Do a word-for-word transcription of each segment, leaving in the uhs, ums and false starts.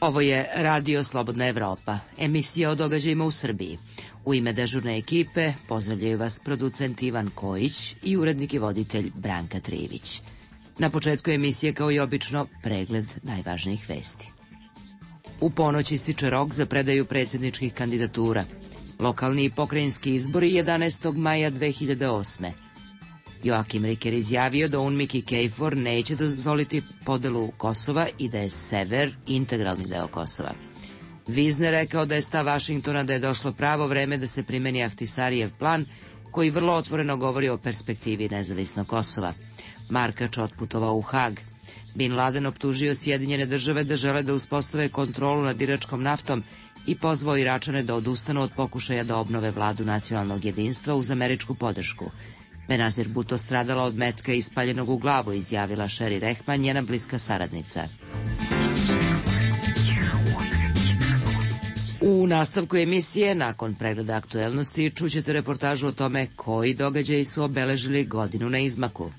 Ovo je Radio Slobodna Evropa, emisija o događajima u Srbiji. U ime dežurne ekipe pozdravljaju vas producent Ivan Kojić i urednik i voditelj Branka Trivić. Na početku emisije, kao i obično, pregled najvažnijih vesti. U ponoć ističe rok za predaju predsjedničkih kandidatura. Lokalni i pokrajinski izbori jedanaestog maja dve hiljade osme. Joakim Riker izjavio da UNMIK i KFOR neće dozvoliti podelu Kosova i da je sever integralni deo Kosova. Vizner rekao da je stav Vašingtona da je došlo pravo vreme da se primeni Ahtisarijev plan, koji vrlo otvoreno govori o perspektivi nezavisnog Kosova. Markač otputovao u Hag. Bin Laden optužio Sjedinjene države da žele da uspostave kontrolu nad iračkom naftom i pozvao Iračane da odustanu od pokušaja da obnove vladu nacionalnog jedinstva uz američku podršku. Benazir Bhutto stradala od metka ispaljenog u glavu, izjavila Sherry Rehman, njena bliska saradnica. U nastavku emisije, nakon pregleda aktuelnosti, čućete reportažu o tome koji događaji su obeležili godinu na izmaku.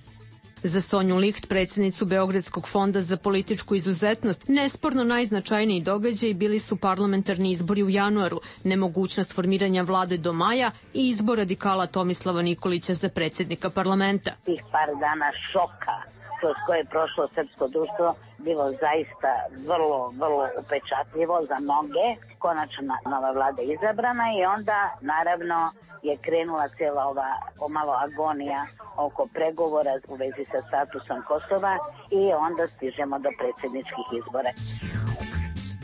Za Sonju Licht, predsjednicu Beogradskog fonda za političku izuzetnost, nesporno najznačajniji događaji bili su parlamentarni izbori u januaru, nemogućnost formiranja vlade do maja i izbor radikala Tomislava Nikolića za predsjednika parlamenta. Tih par dana šoka kroz koje je prošlo srpsko društvo bilo zaista vrlo, vrlo upečatljivo za mnoge. Konačno nova vlada izabrana i onda naravno je krenula cijela ova pomalo agonija oko pregovora u vezi sa statusom Kosova i onda stižemo do predsjedničkih izbora.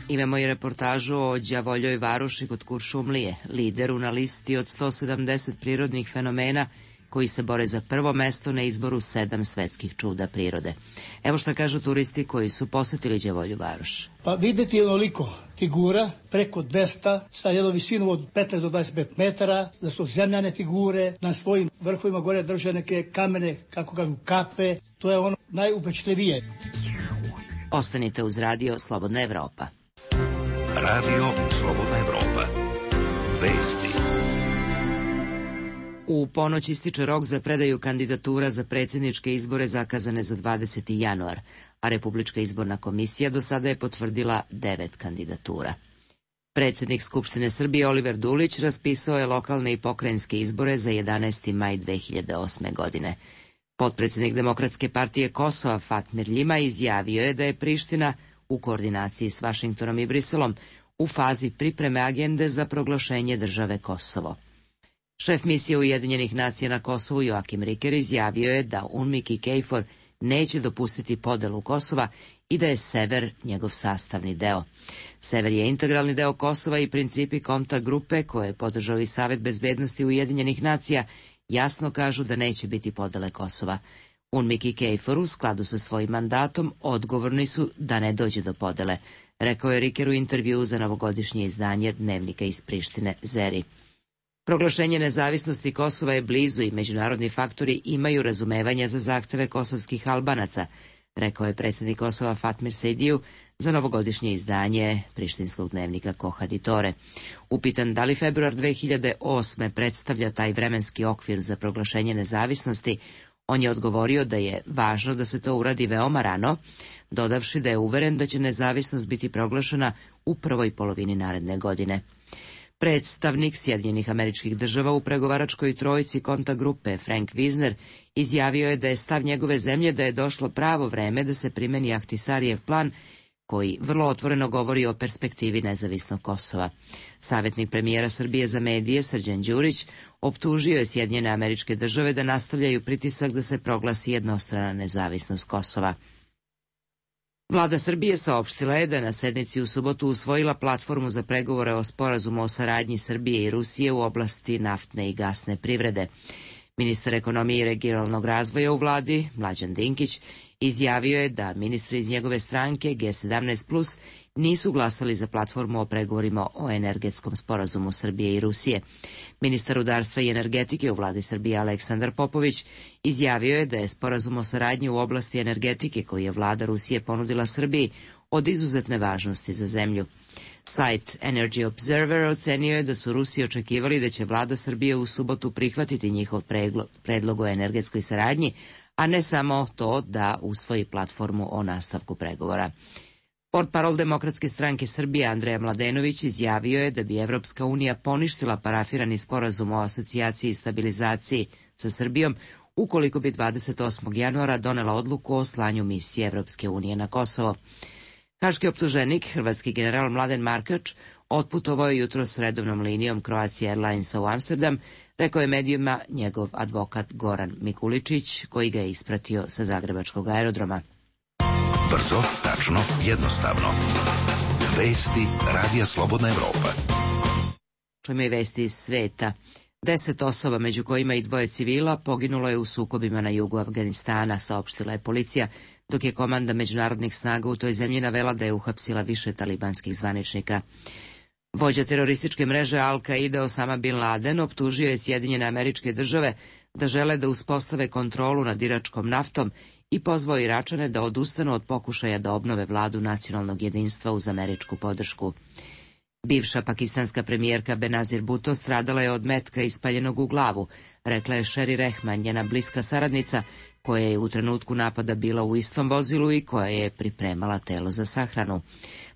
Imamo i reportažu o Đavoljoj varoši kod Kuršumlije, lideru na listi od sto sedamdeset prirodnih fenomena koji se bore za prvo mesto na izboru sedam svetskih čuda prirode. Evo šta kažu turisti koji su posetili Đavolju varoš. Pa videti je onoliko figura, preko dvesta, sa jednom visinom od petnaest do dvadeset pet metara, da su zemljane figure, na svojim vrhovima gore drže neke kamene, kako kažu, kape. To je ono najupečatljivije. Ostanite uz Radio Slobodna Evropa. Radio Slobodna Evropa. Vesti. U ponoć ističe rok za predaju kandidatura za predsjedničke izbore zakazane za dvadeseti januar, a Republička izborna komisija do sada je potvrdila devet kandidatura. Predsjednik Skupštine Srbije Oliver Dulić raspisao je lokalne i pokrajinske izbore za jedanaesti maj dve hiljade osme. godine. Potpredsjednik Demokratske partije Kosova Fatmir Ljima izjavio je da je Priština, u koordinaciji s Vašingtonom i Briselom, u fazi pripreme agende za proglašenje države Kosovo. Šef misije Ujedinjenih nacija na Kosovu Joakim Riker izjavio je da UNMIK i KFOR neće dopustiti podelu Kosova i da je sever njegov sastavni deo. Sever je integralni deo Kosova i principi kontakt grupe koje je podržao i Savet bezbednosti Ujedinjenih nacija jasno kažu da neće biti podele Kosova. UNMIK i KFOR u skladu sa svojim mandatom odgovorni su da ne dođe do podele, rekao je Riker u intervjuu za novogodišnje izdanje dnevnika iz Prištine Zeri. Proglašenje nezavisnosti Kosova je blizu i međunarodni faktori imaju razumevanja za zahteve kosovskih Albanaca, rekao je predsjednik Kosova Fatmir Sejdiju za novogodišnje izdanje prištinskog dnevnika Kohaditore. Upitan da li februar dve hiljade osme predstavlja taj vremenski okvir za proglašenje nezavisnosti, on je odgovorio da je važno da se to uradi veoma rano, dodavši da je uveren da će nezavisnost biti proglašena u prvoj polovini naredne godine. Predstavnik Sjedinjenih Američkih Država u pregovaračkoj trojici kontakt grupe Frank Wisner izjavio je da je stav njegove zemlje da je došlo pravo vreme da se primeni Ahtisarijev plan, koji vrlo otvoreno govori o perspektivi nezavisnog Kosova. Savjetnik premijera Srbije za medije Srđan Đurić optužio je Sjedinjene Američke Države da nastavljaju pritisak da se proglasi jednostrana nezavisnost Kosova. Vlada Srbije saopštila je da je na sednici u subotu usvojila platformu za pregovore o sporazumu o saradnji Srbije i Rusije u oblasti naftne i gasne privrede. Ministar ekonomije i regionalnog razvoja u vladi, Mlađan Dinkić, izjavio je da ministri iz njegove stranke G sedamnaest plus nisu glasali za platformu o pregovorima o energetskom sporazumu Srbije i Rusije. Ministar rudarstva i energetike u vladi Srbije Aleksandar Popović izjavio je da je sporazum o saradnji u oblasti energetike koji je vlada Rusije ponudila Srbiji od izuzetne važnosti za zemlju. Sajt Energy Observer ocenio je da su Rusi očekivali da će vlada Srbije u subotu prihvatiti njihov predlog o energetskoj saradnji, a ne samo to da usvoji platformu o nastavku pregovora. Portparol Demokratske stranke Srbije Andreja Mladenović izjavio je da bi Evropska unija poništila parafirani sporazum o asocijaciji i stabilizaciji sa Srbijom ukoliko bi dvadeset osmog januara donela odluku o slanju misije Evropske unije na Kosovo. Haški optuženik, hrvatski general Mladen Markač, otputovao je jutro s redovnom linijom Croatia Airlinesa u Amsterdam, rekao je medijima njegov advokat Goran Mikuličić, koji ga je ispratio sa zagrebačkog aerodroma. Brzo, tačno, jednostavno. Vesti Radija Slobodna Evropa. Čujemo i vesti iz sveta. Deset osoba, među kojima i dvoje civila, poginulo je u sukobima na jugu Afganistana, saopštila je policija, dok je komanda međunarodnih snaga u toj zemlji navela da je uhapsila više talibanskih zvaničnika. Vođa terorističke mreže Al-Qaida Osama Bin Laden optužio je Sjedinjene Američke Države da žele da uspostave kontrolu nad iračkom naftom i pozvao Iračane da odustanu od pokušaja da obnove vladu nacionalnog jedinstva uz američku podršku. Bivša pakistanska premijerka Benazir Bhutto stradala je od metka ispaljenog u glavu, rekla je Sherry Rehman, njena bliska saradnica, koja je u trenutku napada bila u istom vozilu i koja je pripremala telo za sahranu.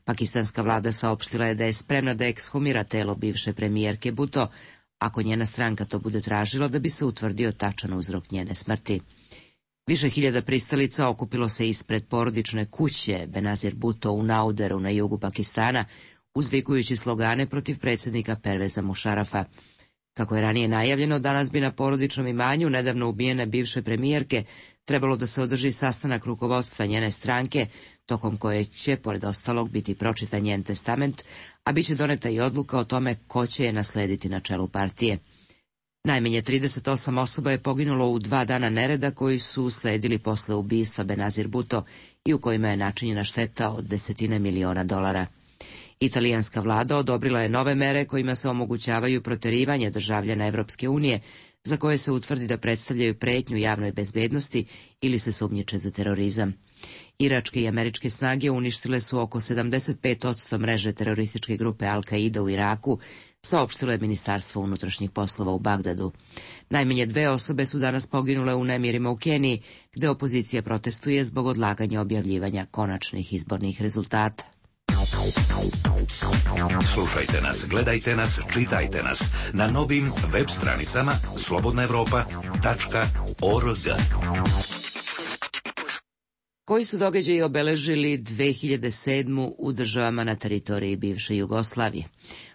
Pakistanska vlada saopštila je da je spremna da ekshumira telo bivše premijerke Bhutto, ako njena stranka to bude tražila da bi se utvrdio tačan uzrok njene smrti. Više hiljada pristalica okupilo se ispred porodične kuće Benazir Bhutto u Nauderu na jugu Pakistana, uzvikujući slogane protiv predsjednika Perveza Mušarafa. Kako je ranije najavljeno, danas bi na porodičnom imanju nedavno ubijene bivše premijerke trebalo da se održi sastanak rukovodstva njene stranke, tokom koje će, pored ostalog, biti pročitan njen testament, a bit će doneta i odluka o tome ko će je naslediti na čelu partije. Najmanje trideset osam osoba je poginulo u dva dana nereda koji su usledili posle ubistva Benazir Bhutto i u kojima je načinjena šteta od desetine miliona dolara. Italijanska vlada odobrila je nove mere kojima se omogućavaju proterivanje državljana Evropske unije za koje se utvrdi da predstavljaju pretnju javnoj bezbednosti ili se sumnjiče za terorizam. Iračke i američke snage uništile su oko sedamdeset pet posto mreže terorističke grupe Al-Qaida u Iraku, saopštilo je Ministarstvo unutrašnjih poslova u Bagdadu. Najmanje dve osobe su danas poginule u nemirima u Keniji, gde opozicija protestuje zbog odlaganja objavljivanja konačnih izbornih rezultata. Slušajte nas, gledajte nas, čitajte nas na novim web stranicama slobodna evropa tačka org. Koji su događaji obeležili dve hiljade sedmu u državama na teritoriji bivše Jugoslavije?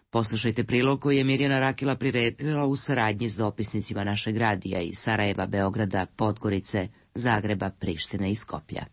Poslušajte prilog koji je Mirjana Rakila priredila u saradnji s dopisnicima našeg radija iz Sarajeva, Beograda, Podgorice, Zagreba, Prištine i Skoplja.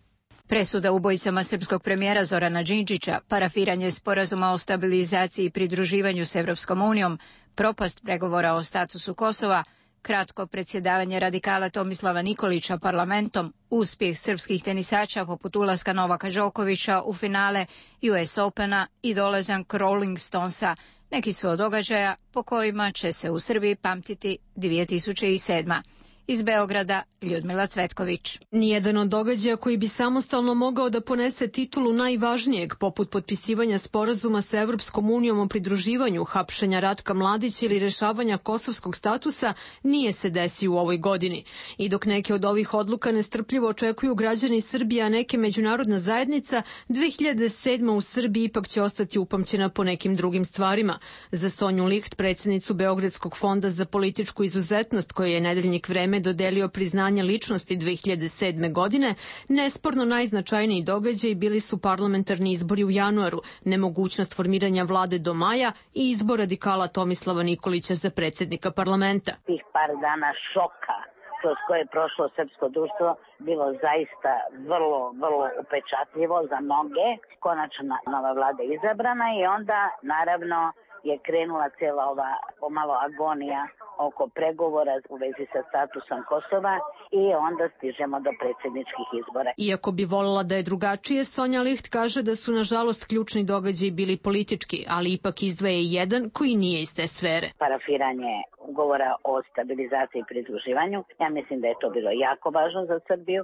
Presuda ubojicama srpskog premijera Zorana Đinđića, parafiranje sporazuma o stabilizaciji i pridruživanju s Evropskom unijom, propast pregovora o statusu Kosova, kratko predsjedavanje radikala Tomislava Nikolića parlamentom, uspjeh srpskih tenisača poput ulaska Novaka Đokovića u finale U S Opena i dolazak Rolling Stonesa neki su od događaja po kojima će se u Srbiji pamtiti dvije tisuće sedma. Iz Beograda, Ljudmila Cvetković. Nijedan od događaja koji bi samostalno mogao da ponese titulu najvažnijeg, poput potpisivanja sporazuma sa Evropskom unijom o pridruživanju, hapšenja Ratka Mladića ili rešavanja kosovskog statusa, nije se desio u ovoj godini. I dok neke od ovih odluka nestrpljivo očekuju građani Srbije, a neke međunarodna zajednica, dve hiljade sedma u Srbiji ipak će ostati upamćena po nekim drugim stvarima. Za Sonju Licht, predsjednicu Beogradskog fonda za političku izuzetnost, koji je Nedeljnik Vreme dodelio priznanje ličnosti dve hiljade sedme. godine, nesporno najznačajniji događaji bili su parlamentarni izbori u januaru, nemogućnost formiranja vlade do maja i izbor radikala Tomislava Nikolića za predsjednika parlamenta. Tih par dana šoka kroz koje je prošlo srpsko društvo bilo zaista vrlo, vrlo upečatljivo za mnoge. Konačno nova vlada izabrana i onda naravno je krenula cijela ova pomalo agonija oko pregovora u vezi sa statusom Kosova i onda stižemo do predsjedničkih izbora. Iako bi voljela da je drugačije, Sonja Licht kaže da su nažalost ključni događaji bili politički, ali ipak izdvaja i jedan koji nije iz te sfere. Parafiranje ugovora o stabilizaciji i pridruživanju. Ja mislim da je to bilo jako važno za Srbiju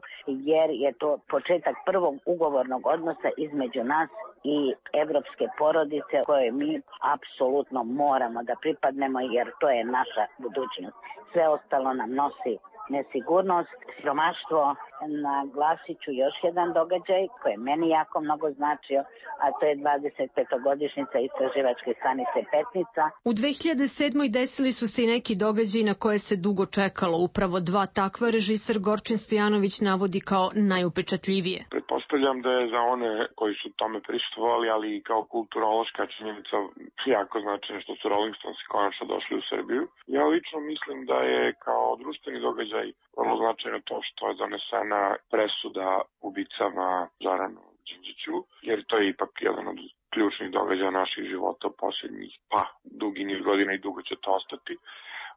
jer je to početak prvog ugovornog odnosa između nas i evropske porodice koje mi apsolutno moramo da pripadnemo jer to je naša budućnost. Sve ostalo nam nosi nesigurnost, siromaštvo. Naglasit ću još jedan događaj koji je meni jako mnogo značio, a to je dvadeset petogodišnjica istraživačke stanice Petnica. U dve hiljade sedmoj desili su se i neki događaji na koje se dugo čekalo. Upravo dva takva režiser Gorčin Stojanović navodi kao najupečatljivije. Pretpostavljam da je za one koji su tome prisustvovali, ali i kao kulturološka činjenica jako značajno što su Rolling Stonesi konačno došli u Srbiju. Ja lično mislim da je kao društveni događaj vrlo značajno to što je donesena presuda ubicama Zoranu Đinđiću, jer to je ipak jedan od ključnih događaja naših života u posljednjih, pa, dugi niz godina i dugo će to ostati.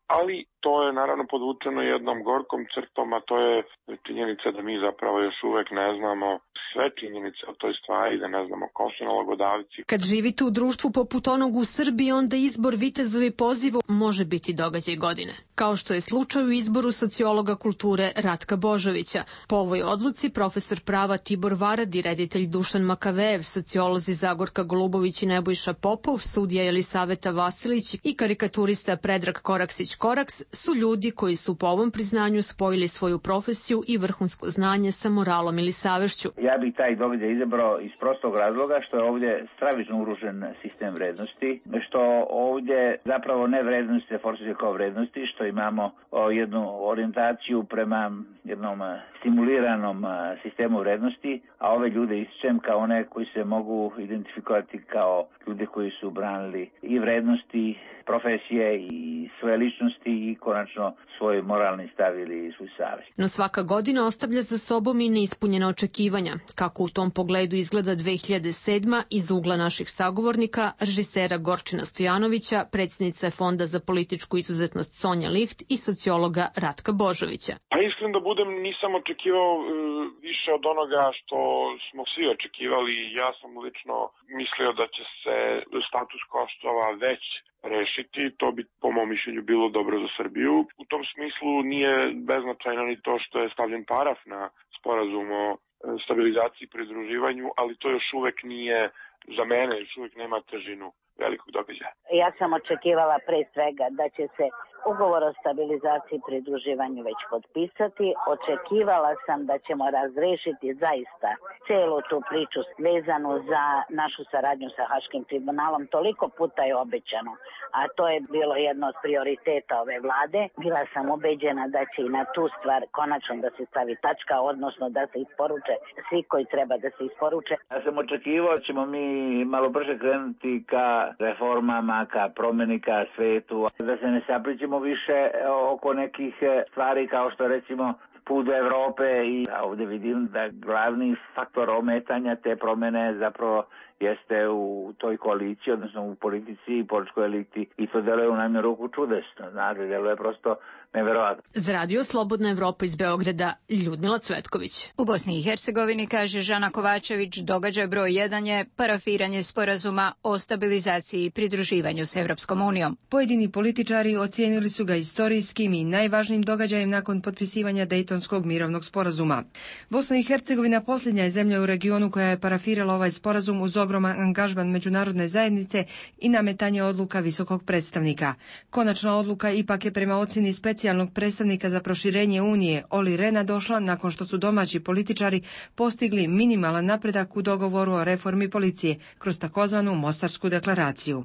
Ali to je naravno podvučeno jednom gorkom crtom, a to je činjenica da mi zapravo još uvek ne znamo sve činjenice o toj stvari, da ne znamo ko su nalogodavci. Kad živite u društvu poput onog u Srbiji, onda izbor vitezovi pozivu može biti događaj godine. Kao što je slučaj u izboru sociologa kulture Ratka Božovića. Po ovoj odluci profesor prava Tibor Varad i reditelj Dušan Makavejev, sociolozi Zagorka Golubović i Nebojša Popov, sudija Jelisaveta Vasilić i karikaturista Predrag Koraksić-Koraks su ljudi koji su po ovom priznanju spojili svoju profesiju i vrhunsko znanje sa moralom ili savešću. Ja bih taj događaj izabrao iz prostog razloga što je ovdje stravično urušen sistem vrednosti, što ovdje zapravo ne vrednosti se forsiraju kao vrednosti, što imamo jednu orijentaciju prema jednom stimuliranom sistemu vrednosti, a ove ljude ističem kao one koji se mogu identifikovati kao ljude koji su branili i vrednosti, profesije i svoje ličnosti i konačno svoj moralni stav ili svoj savjest. No svaka godina ostavlja za sobom i neispunjena očekivanja. Kako u tom pogledu izgleda dve hiljade sedma iz ugla naših sagovornika, režisera Gorčina Stojanovića, predsjednice Fonda za političku izuzetnost Sonja Licht i sociologa Ratka Božovića. Pa iskren da budem, nisam očekivao uh, više od onoga što smo svi očekivali. Ja sam lično mislio da će se status Kosova već rešiti, to bi po mom mišljenju bilo dobro za Srbiju. U tom smislu nije beznačajno ni to što je stavljen paraf na sporazum o stabilizaciji i pridruživanju, ali to još uvek nije, za mene još uvek nema težinu velikog događaja. Ja sam očekivala pre svega da će se ugovor o stabilizaciji i pridruživanju već potpisati. Očekivala sam da ćemo razrešiti zaista celu tu priču vezanu za našu saradnju sa Haškim tribunalom. Toliko puta je obećano, a to je bilo jedno od prioriteta ove vlade. Bila sam ubeđena da će i na tu stvar konačno da se stavi tačka, odnosno da se isporuče svi koji treba da se isporuče. Ja sam očekivao da ćemo mi malo brže krenuti ka reformama, ka promeni, ka svetu, da se ne saplićemo više oko nekih stvari kao što recimo put do Evrope i ovdje vidim da glavni faktor ometanja te promjene zapravo jeste u toj koaliciji, odnosno u politici i političkoj eliti i to deluje u najmanju ruku čudesno, znate, deluje prosto neverovatno. Za Radio Slobodna Evropa iz Beograda, Ljudmila Cvetković. U Bosni i Hercegovini, kaže Žana Kovačević, događaj broj jedan je parafiranje sporazuma o stabilizaciji i pridruživanju s Evropskom unijom. Pojedini političari ocijenili su ga istorijskim i najvažnijim događajem nakon potpisivanja Dejtonskog mirovnog sporazuma. Bosna i Hercegovina posljednja je zemlja u regionu koja je parafirala ovaj sporazum uz ogroman angažman međunarodne zajednice i nametanje odluka visokog predstavnika. Konačna odluka ipak je prema ocjeni specijalnog predstavnika za proširenje Unije Oli Rena došla nakon što su domaći političari postigli minimalan napredak u dogovoru o reformi policije kroz takozvanu Mostarsku deklaraciju.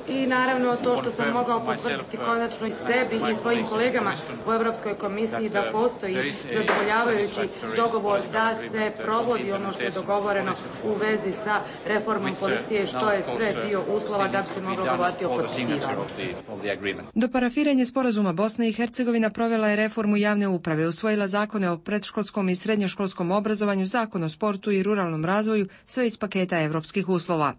I naravno to što sam mogao potvrditi konačno i sebi i svojim kolegama u Europskoj komisiji da postoji zadovoljavajući dogovor da se provodi ono što je dogovoreno u vezi sa reformom policije, što je sve dio uslova da bi se moglo govoriti o potpisivanju. Do parafiranja sporazuma Bosna i Hercegovina provela je reformu javne uprave, usvojila zakone o predškolskom i srednjoškolskom obrazovanju, zakon o sportu i ruralnom razvoju, sve iz paketa evropskih uslova.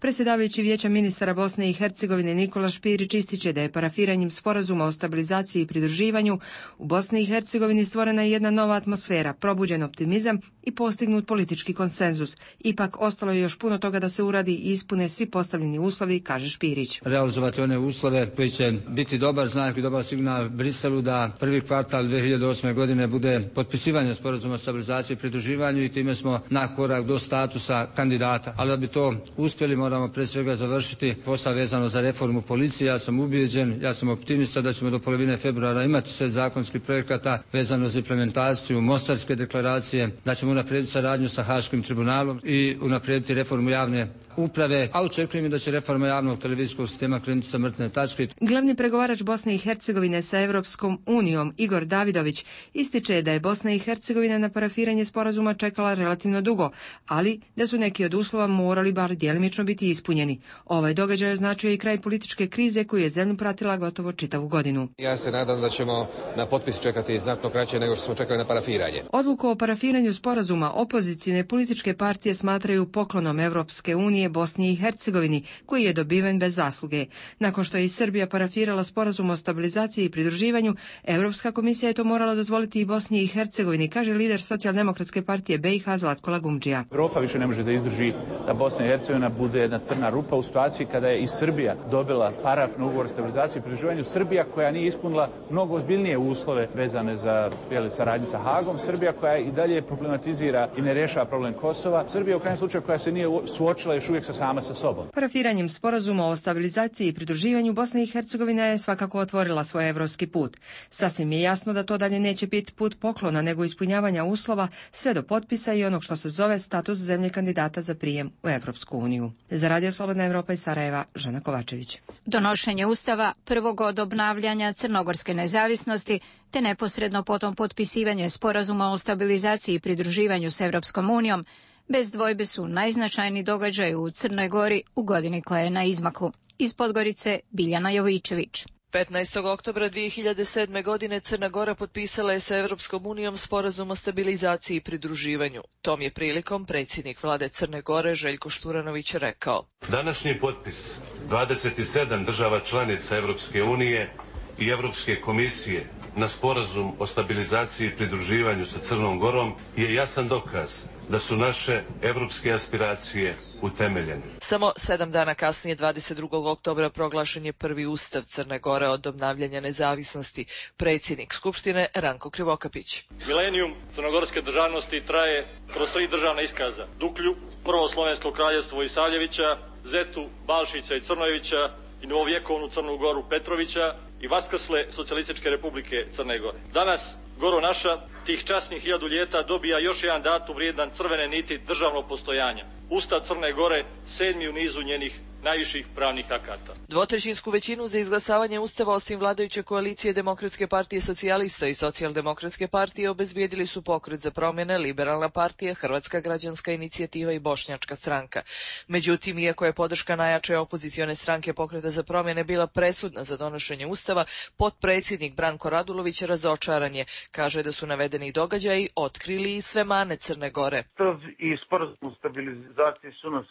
Predsjedavajući Vijeća ministara Bosne i Hercegovine Nikola Špirić ističe da je parafiranjem sporazuma o stabilizaciji i pridruživanju u Bosni i Hercegovini stvorena jedna nova atmosfera, probuđen optimizam i postignut politički konsenzus. Ipak ostalo je još puno toga da se uradi i ispune svi postavljeni uslovi, kaže Špirić. Realizovati one uslove koji će biti dobar znak i dobar signal Briselu da prvi kvartal dve hiljade osme godine bude potpisivanje sporazuma o stabilizaciji i pridruživanju i time smo na korak do statusa kandidata. Ali da bi to uspjeli moramo pre svega završiti posao vezano za reformu policije. Ja sam ubijeđen, ja sam optimista da ćemo do polovine februara imati set zakonskih projekata vezano za implementaciju Mostarske deklaracije, da ćemo unaprijediti saradnju sa Haškim tribunalom i unaprijediti reformu javne uprave, a očekujem da će reforma javnog televizijskog sistema krenuti sa mrtve tačke. Glavni pregovarač Bosne i Hercegovine sa Evropskom unijom, Igor Davidović, ističe da je Bosna i Hercegovina na parafiranje sporazuma čekala relativno dugo, ali da su neki od uslova morali bar djelimično biti ispunjeni. Ovaj događaj označio i kraj političke krize koju je zemlju pratila gotovo čitavu godinu. Ja se nadam da ćemo na potpis čekati znatno kraće nego što smo čekali na parafiranje. Odluku o parafiranju sporazuma opozicijne političke partije smatraju poklonom Evropske unije Bosni i Hercegovini, koji je dobiven bez zasluge. Nakon što je i Srbija parafirala sporazum o stabilizaciji i pridruživanju, Evropska komisija je to morala dozvoliti i Bosni i Hercegovini, kaže lider Socijaldemokratske partije B i H Zlatko Lagumdžija. Evropa više ne može da izdrži da Bosna i Hercegovina bude jedna crna rupa u situaciji kada je i Srbija dobila paraf na ugovor o stabilizaciji i pridruživanju. Srbija koja nije ispunila mnogo ozbiljnije uslove vezane za jeli, saradnju sa Hagom, Srbija koja i dalje problematizira i ne rješava problem Kosova, Srbija u krajnjem slučaju koja se nije suočila još uvijek sa sama sa sobom. Parafiranjem sporazuma o stabilizaciji i pridruživanju Bosna i Hercegovina je svakako otvorila svoj evropski put. Sasvim je jasno da to dalje neće biti put poklona, nego ispunjavanja uslova sve do potpisa i onog što se zove status zemlje kandidata za prijem u Evropsku uniju. Za Radio Slobodna Evropa iz Sarajeva, Žana Kovačević. Donošenje Ustava prvog od obnavljanja crnogorske nezavisnosti te neposredno potom potpisivanje sporazuma o stabilizaciji i pridruživanju s Evropskom unijom bez dvojbe su najznačajniji događaj u Crnoj Gori u godini koja je na izmaku. Iz Podgorice Biljana Jovičević. petnaestog oktobra dvije hiljade sedme. godine Crna Gora potpisala je sa Evropskom unijom sporazum o stabilizaciji i pridruživanju. Tom je prilikom predsjednik vlade Crne Gore Željko Šturanović rekao: Današnji potpis dvadeset sedam država članica Evropske unije i Evropske komisije na sporazum o stabilizaciji i pridruživanju sa Crnom Gorom je jasan dokaz da su naše evropske aspiracije utemeljene. Samo sedam dana kasnije, dvadeset drugog oktobra, proglašen je prvi ustav Crne Gore od obnavljanja nezavisnosti. Predsjednik Skupštine Ranko Krivokapić. Milenijum crnogorske državnosti traje kroz tri državna iskaza: Duklju, prvo slovensko kraljevstvo Isavljevića, Zetu, Balšića i Crnojevića i novovjekovnu Crnu Goru Petrovića i vaskrsle Socijalističke republike Crne Gore. Danas Goro naša, tih časnih hiljadu ljeta, dobija još jedan datum vrijedan crvene niti državnog postojanja. Ustav Crne Gore, sedmi u nizu njenih najviših pravnih akata. Dvotrećinsku većinu za izglasavanje Ustava osim vladajuće koalicije Demokratske partije socijalista i Socijaldemokratske partije obezbijedili su Pokret za promjene, Liberalna partija, Hrvatska građanska inicijativa i Bošnjačka stranka. Međutim, iako je podrška najjače opozicione stranke Pokreta za promjene bila presudna za donošenje Ustava, potpredsjednik Branko Radulović razočaran je. Kaže da su navedeni događaji otkrili i sve mane Crne Gore. Ustav i sporazum stabilizacije su nas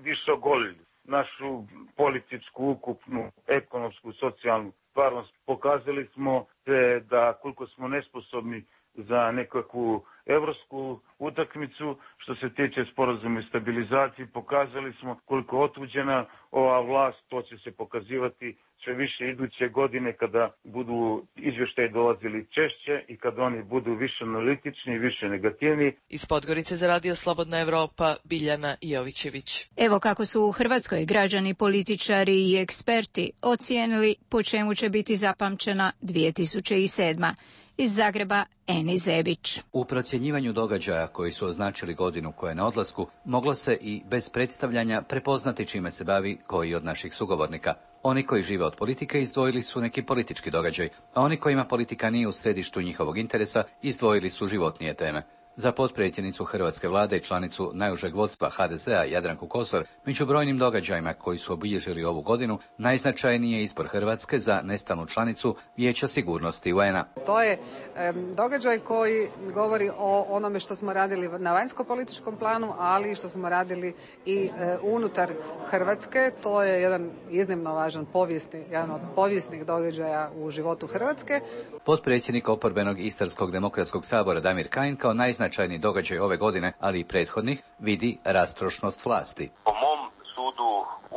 više ogolili. Našu političku, ukupnu, ekonomsku, socijalnu stvarnost. Pokazali smo se da koliko smo nesposobni za nekakvu evropsku utakmicu. Što se tiče sporazuma i stabilizacije, pokazali smo koliko otuđena ova vlast. To će se pokazivati sve više iduće godine kada budu izvještaji dolazili češće i kada oni budu više analitični i više negativni. Iz Podgorice za Radio Slobodna Evropa, Biljana Jovićević. Evo kako su u Hrvatskoj građani, političari i eksperti ocijenili po čemu će biti zapamćena dvije tisuće sedma. Iz Zagreba, Eni Zebić. U procjenjivanju događaja koji su označili godinu koja je na odlasku, moglo se i bez predstavljanja prepoznati čime se bavi koji od naših sugovornika. Oni koji žive od politike izdvojili su neki politički događaj, a oni kojima politika nije u središtu njihovog interesa izdvojili su životnije teme. Za potpredsjednicu hrvatske vlade i članicu najužeg vodstva ha de zea Jadranku Kosor, među brojnim događajima koji su obilježili ovu godinu, najznačajniji je izbor Hrvatske za nestalnu članicu Vijeća sigurnosti u en a. To je e, događaj koji govori o onome što smo radili na vanjsko-političkom planu, ali što smo radili i e, unutar Hrvatske. To je jedan iznimno važan povijesni, jedan od povijesnih događaja u životu Hrvatske. potpredsjednik oporbenog Istarskog demokratskog sabora Damir Kajin kao najznačajniji događaj ove godine, ali i prethodnih, vidi rastrošnost vlasti. Po mom sudu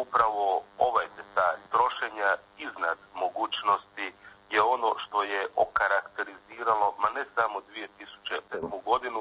upravo ovaj detalj trošenja iznad mogućnosti je ono što je okarakteriziralo, ma ne samo dvije tisuće sedmu godinu,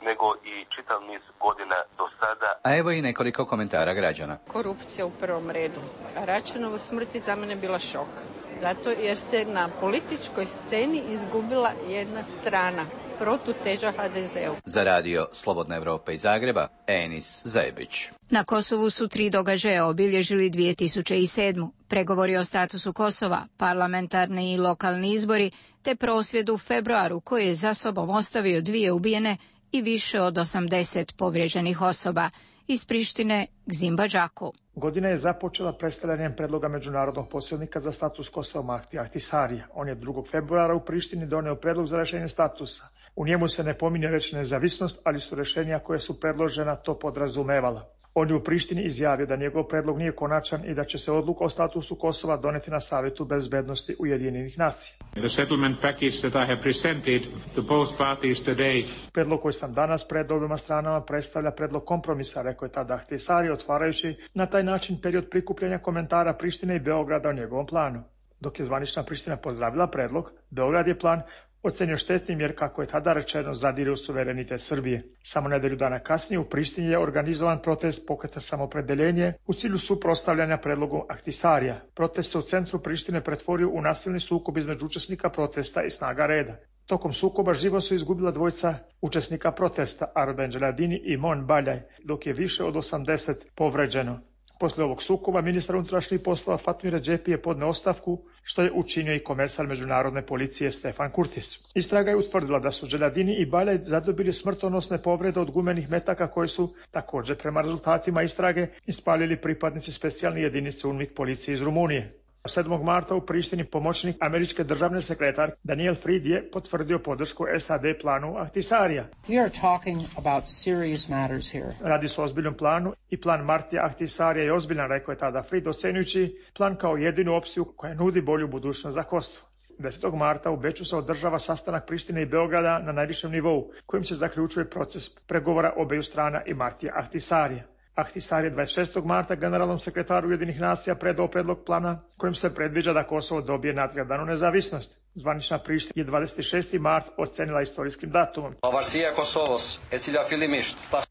nego i čitav niz godina do sada. A evo i nekoliko komentara građana. Korupcija u prvom redu. A Račanova smrt je za mene bila šok. Zato jer se na političkoj sceni izgubila jedna strana, protuteža ha de zeu. Za radio Slobodna Evropa iz Zagreba, Enis Zajebić. Na Kosovu su tri događaja obilježili dvije tisuće sedmu. Pregovori o statusu Kosova, parlamentarni i lokalni izbori, te prosvjed u februaru koji je za sobom ostavio dvije ubijene i više od osamdeset povrijeđenih osoba. Iz Prištine, Gzimba Đaku. Godina je započela predstavljanjem predloga međunarodnog posrednika za status Kosova Mahtija Ahtisarija. On je drugog februara u Prištini doneo predlog za rješenje statusa. U njemu se ne pominje reč nezavisnost, ali su rješenja koje su predložena to podrazumevala. On je u Prištini izjavio da njegov predlog nije konačan i da će se odluka o statusu Kosova doneti na Savjetu bezbednosti Ujedinjenih nacija. The settlement package that I have presented to both parties today. Predlog koji sam danas pred obima stranama predstavlja predlog kompromisa, rekao je tada Ahtisari, otvarajući na taj način period prikupljanja komentara Prištine i Beograda o njegovom planu. Dok je zvanična Priština pozdravila predlog, Beograd je plan ocenio štetnim jer, kako je tada rečeno, zadire u suverenitet Srbije. Samo nedelju dana kasnije u Prištini je organizovan protest pokreta Samopredeljenje u cilju suprotstavljanja predlogu Ahtisarija. Protest se u centru Prištine pretvorio u nasilni sukob između učesnika protesta i snaga reda. Tokom sukoba život su izgubila dvojica učesnika protesta, Arben Dželadini i Mon Baljaj, dok je više od osamdeset povređeno. Poslije ovog sukoba ministar unutrašnjih poslova Fatmir Redžepi je podneo ostavku, što je učinio i komesar međunarodne policije Stefan Kurtis. Istraga je utvrdila da su Dželadini i Baljaj zadobili smrtonosne povrede od gumenih metaka koje su, također prema rezultatima istrage, ispalili pripadnici specijalne jedinice UNMIK policije iz Rumunije. sedmog marta u Prištini pomoćnik američke državne sekretar Daniel Fried je potvrdio podršku S A D planu Ahtisarija. We are talking about serious matters here. Radi se o ozbiljnom planu i plan Martija Ahtisarija je ozbiljan, rekao je tada Fried, ocenjujući plan kao jedinu opciju koja nudi bolju budućnost za Kosovo. desetog marta u Beču se održava sastanak Prištine i Beograda na najvišem nivou, kojim se zaključuje proces pregovora obeju strana i Martija Ahtisarija. Ahtisar je dvadeset šestog marta generalnom sekretaru Ujedinjenih nacija predao predlog plana kojim se predviđa da Kosovo dobije nadgledanu nezavisnost. Zvanična Priština je dvadeset šesti mart ocenila istorijskim datumom.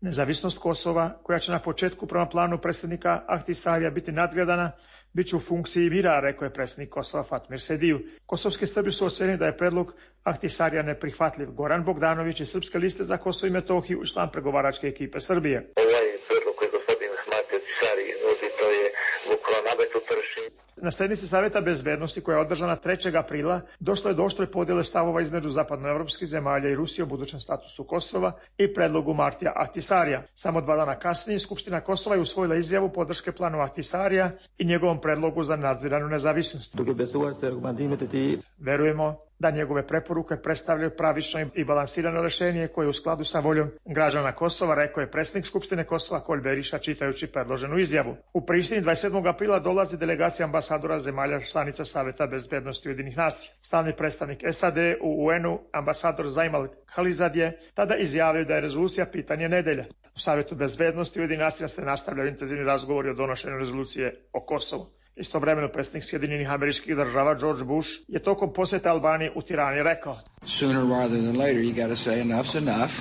Nezavisnost Kosova, koja će na početku prema planu predsjednika Ahtisarija biti nadgledana, bit će u funkciji mira, rekao je predsjednik Kosova Fatmir Sediju. Kosovski Srbi su ocenili da je predlog Ahtisarija neprihvatljiv. Goran Bogdanović iz Srpske liste za Kosovo i Metohiju, član pregovaračke ekipe Srbije. Ovaj predlog koji gospodin Ahmati Ahtisari nudi, to je bukvalno nametu trši. Na sednici Savjeta bezbednosti koja je održana trećeg aprila došlo je do oštre podjele stavova između zapadnoevropskih zemalja i Rusije o budućem statusu Kosova i predlogu Martija Ahtisarija. Samo dva dana kasnije Skupština Kosova je usvojila izjavu podrške planu Ahtisarija i njegovom predlogu za nadziranu nezavisnost. Verujemo da njegove preporuke predstavljaju pravično i balansirano rješenje koje je u skladu sa voljom građana Kosova, rekao je predsjednik Skupštine Kosova Kolj Beriša čitajući predloženu izjavu. U Prištini dvadeset sedmog aprila dolazi delegacija ambasadora zemalja članica Savjeta bezbednosti Ujedinjenih nacija. Stalni predstavnik S A D u U N-u, ambasador Zajmal Khalizad je tada izjavio da je rezolucija pitanje nedelje. U Savjetu bezbednosti Ujedinjenih nacija se nastavljaju intenzivni razgovori o donošenju rezolucije o Kosovu. Istovremeno predsjednik Sjedinjenih Američkih Država George Bush je tokom posjeta Albaniji u Tirani rekao: Sooner rather than later you got to say enough's enough.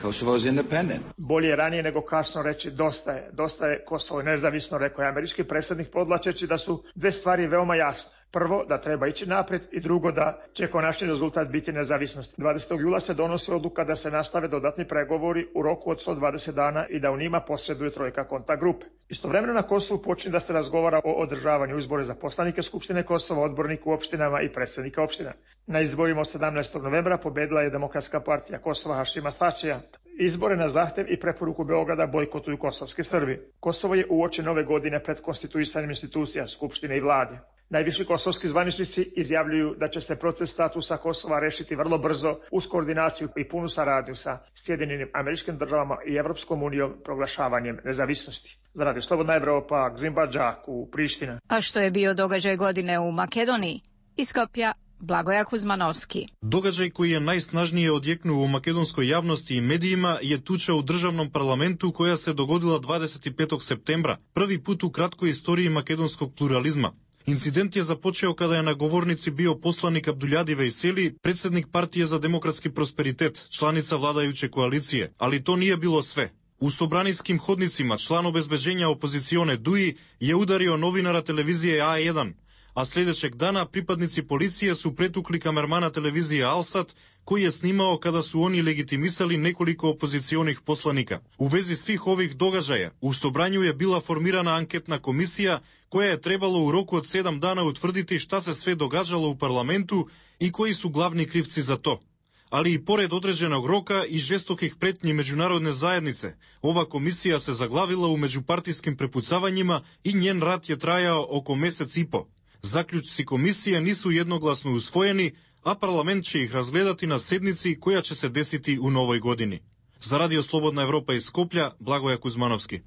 Kosovo is independent. Bolje je ranije nego kasno reći dosta je, dosta je, Kosovo je nezavisno, rekao je američki predsjednik podvlačeći da su dve stvari veoma jasne. Prvo, da treba ići naprijed i drugo, da će konačni rezultat biti nezavisnost. dvadesetog jula se donosi odluka da se nastave dodatni pregovori u roku od sto dvadeset dana i da u njima posreduje trojka kontakt grupe. Istovremeno na Kosovu počinje da se razgovara o održavanju izbora za poslanike Skupštine Kosova, odbornika u opštinama i predsjednika opština. Na izborima od sedamnaestog novembra pobedila je Demokratska partija Kosova Hašima Thačija. Izbore na zahtev i preporuku Beograda bojkotuju kosovski Srbi. Kosovo je uoči nove godine pred konstituisanjem institucija, Skupštine i vlade. Najviši kosovski zvaničnici izjavljuju da će se proces statusa Kosova rešiti vrlo brzo uz koordinaciju i punu saradnju sa Sjedinjenim Američkim Državama i Evropskom unijom proglašavanjem nezavisnosti. Za Radio Slobodna Evropa, Gzimba Đaku, Priština. A što je bio događaj godine u Makedoniji? Iz Skopja, Blagoja Kuzmanovski. Događaj koji je najsnažnije odjeknuo u makedonskoj javnosti i medijima je tuča u državnom parlamentu koja se dogodila dvadeset petog septembra, prvi put u kratkoj istoriji makedonskog pluralizma. Incident je započeo kada je na govornici bio poslanik Abduljadi Vejseli, predsjednik Partije za demokratski prosperitet, članica vladajuće koalicije, ali to nije bilo sve. U sobranijskim hodnicima član obezbeđenja opozicione Duji je udario novinara televizije A jedan, a sljedećeg dana pripadnici policije su pretukli kamermana televizije Alsat, koji je snimao kada su oni legitimisali nekoliko opozicionih poslanika. U vezi svih ovih događaja, u Sobranju je bila formirana anketna komisija koja je trebalo u roku od sedam dana utvrditi šta se sve događalo u parlamentu i koji su glavni krivci za to. Ali i pored određenog roka i žestokih pretnji međunarodne zajednice, ova komisija se zaglavila u međupartijskim prepucavanjima i njen rad je trajao oko mesec i po. Zaključci komisije nisu jednoglasno usvojeni, a parlament će ih razgledati na sednici koja će se desiti u novoj godini. Za Radio Slobodna Evropa iz Skoplja, Blagoja Kuzmanovski.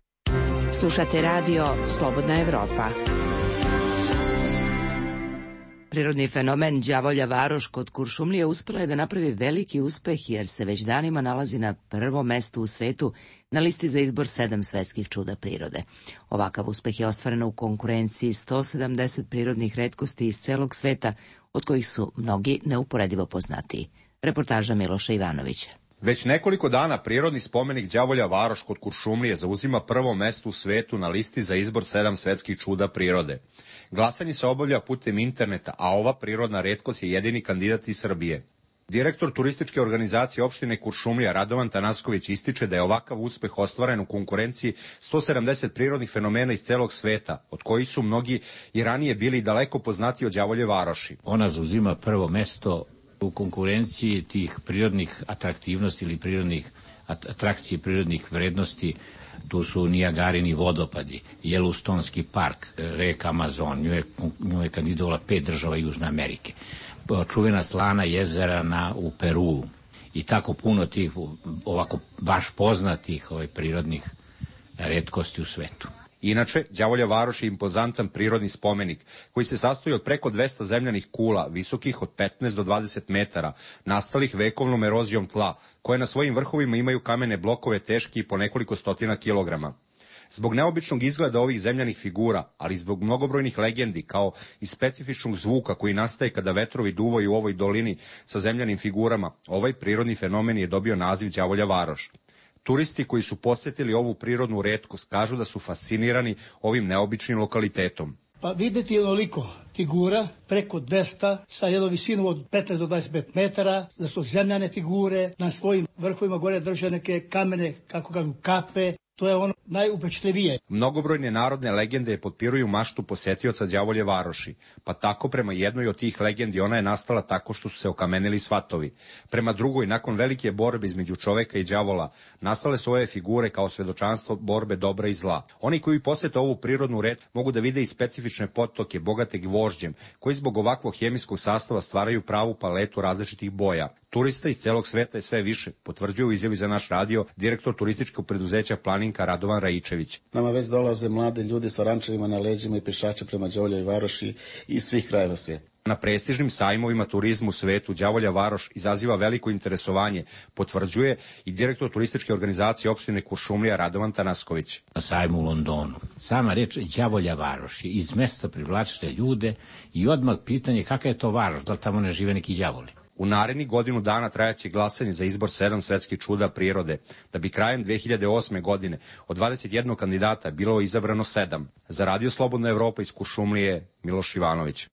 Slušate Radio Slobodna Evropa. Prirodni fenomen Đavolja varoš kod Kuršumlije uspela je da napravi veliki uspeh jer se već danima nalazi na prvom mestu u svetu na listi za izbor sedam svetskih čuda prirode. Ovakav uspeh je ostvaren u konkurenciji sto sedamdeset prirodnih retkosti iz celog sveta, od kojih su mnogi neuporedivo poznatiji. Reportaža Miloša Ivanovića. Već nekoliko dana prirodni spomenik Đavolja varoš kod Kuršumlije zauzima prvo mesto u svetu na listi za izbor sedam svetskih čuda prirode. Glasanje se obavlja putem interneta, a ova prirodna retkost je jedini kandidat iz Srbije. Direktor turističke organizacije opštine Kuršumlija Radovan Tanasković ističe da je ovakav uspeh ostvaren u konkurenciji sto sedamdeset prirodnih fenomena iz celog sveta, od kojih su mnogi i ranije bili daleko poznati od Đavolje varoši. Ona zauzima prvo mesto u konkurenciji tih prirodnih atraktivnosti ili prirodnih atrakcije, prirodnih vrednosti. Tu su Nijagarini vodopadi, Jelustonski park, reka Amazon, nju je, nju je kandidovala pet država Južne Amerike, čuvena slana jezera na, u Peruu i tako puno tih ovako baš poznatih ovaj, prirodnih retkosti u svetu. Inače, Đavolja varoš je impozantan prirodni spomenik koji se sastoji od preko dvesta zemljanih kula, visokih od petnaest do dvadeset metara, nastalih vekovnom erozijom tla, koje na svojim vrhovima imaju kamene blokove teški po nekoliko stotina kilograma. Zbog neobičnog izgleda ovih zemljanih figura, ali zbog mnogobrojnih legendi, kao i specifičnog zvuka koji nastaje kada vetrovi duvaju u ovoj dolini sa zemljanim figurama, ovaj prirodni fenomen je dobio naziv Đavolja varoš. Turisti koji su posjetili ovu prirodnu retkost kažu da su fascinirani ovim neobičnim lokalitetom. Pa videti onoliko figura, preko dvesta, sa jednom visinom od petnaest do dvadeset pet metara, da su zemljane figure, na svojim vrhovima gore drže neke kamene, kako kažu, kape. To je ono najupečatljivije. Mnogobrojne narodne legende potpiruju maštu posetioca Đavolje varoši, pa tako prema jednoj od tih legendi ona je nastala tako što su se okamenili svatovi. Prema drugoj, nakon velike borbe između čoveka i đavola, nastale su ove figure kao svedočanstvo borbe dobra i zla. Oni koji posete ovu prirodnu red mogu da vide i specifične potoke bogate gvožđem, koji zbog ovakvog hemijskog sastava stvaraju pravu paletu različitih boja. Turista iz celog sveta je sve više, potvrđuje u izjavi za naš radio direktor turističkog preduzeća Planinka Radovan Raičević. Nama već dolaze mlade ljudi sa rančevima na leđima i pešače prema Đavoljoj varoši iz svih krajeva svijeta. Na prestižnim sajmovima turizmu u svetu Đavolja varoš izaziva veliko interesovanje, potvrđuje i direktor turističke organizacije opštine Kuršumlija Radovan Tanasković. Na sajmu u Londonu. Sama reč Đavolja varoš je iz mesta privlačite ljude i odmah pitanje kakva je to varoš, da tamo ne žive neki đavoli. U narednih godinu dana trajaće glasanje za izbor sedam svetskih čuda prirode, da bi krajem dve hiljade osme. godine od dvadeset jednog kandidata bilo izabrano sedam. Za Radio Slobodna Evropa iz Kuršumlije, Miloš Ivanović.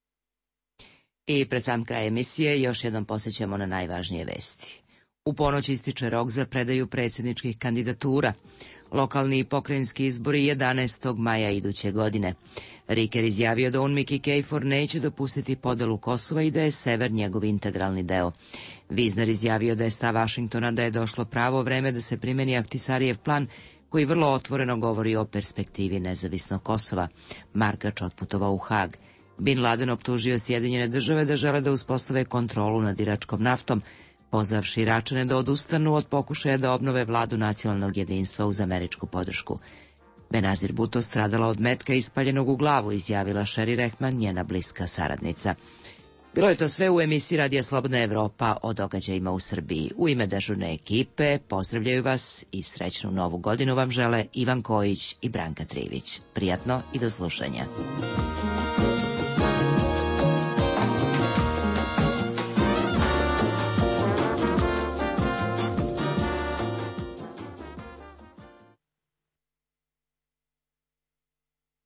I pred sam kraj emisije još jednom posjećamo na najvažnije vesti. U ponoć ističe rok za predaju predsjedničkih kandidatura. Lokalni i pokrajinski izbori jedanaestog maja iduće godine. Riker izjavio da UNMIK i KFOR neće dopustiti podelu Kosova i da je sever njegov integralni deo. Vizner izjavio da je stav Vašingtona da je došlo pravo vreme da se primeni Ahtisarijev plan koji vrlo otvoreno govori o perspektivi nezavisnog Kosova. Markač otputovao u Hag. Bin Laden optužio Sjedinjene države da žele da uspostave kontrolu nad iračkom naftom, pozvavši Iračane da odustanu od pokušaja da obnove vladu nacionalnog jedinstva uz američku podršku. Benazir Bhutto stradala od metka ispaljenog u glavu, izjavila Sherry Rehman, njena bliska saradnica. Bilo je to sve u emisiji Radija Slobodna Evropa o događajima u Srbiji. U ime dežurne ekipe pozdravljaju vas i srećnu novu godinu vam žele Ivan Kojić i Branka Trivić. Prijatno i do slušanja.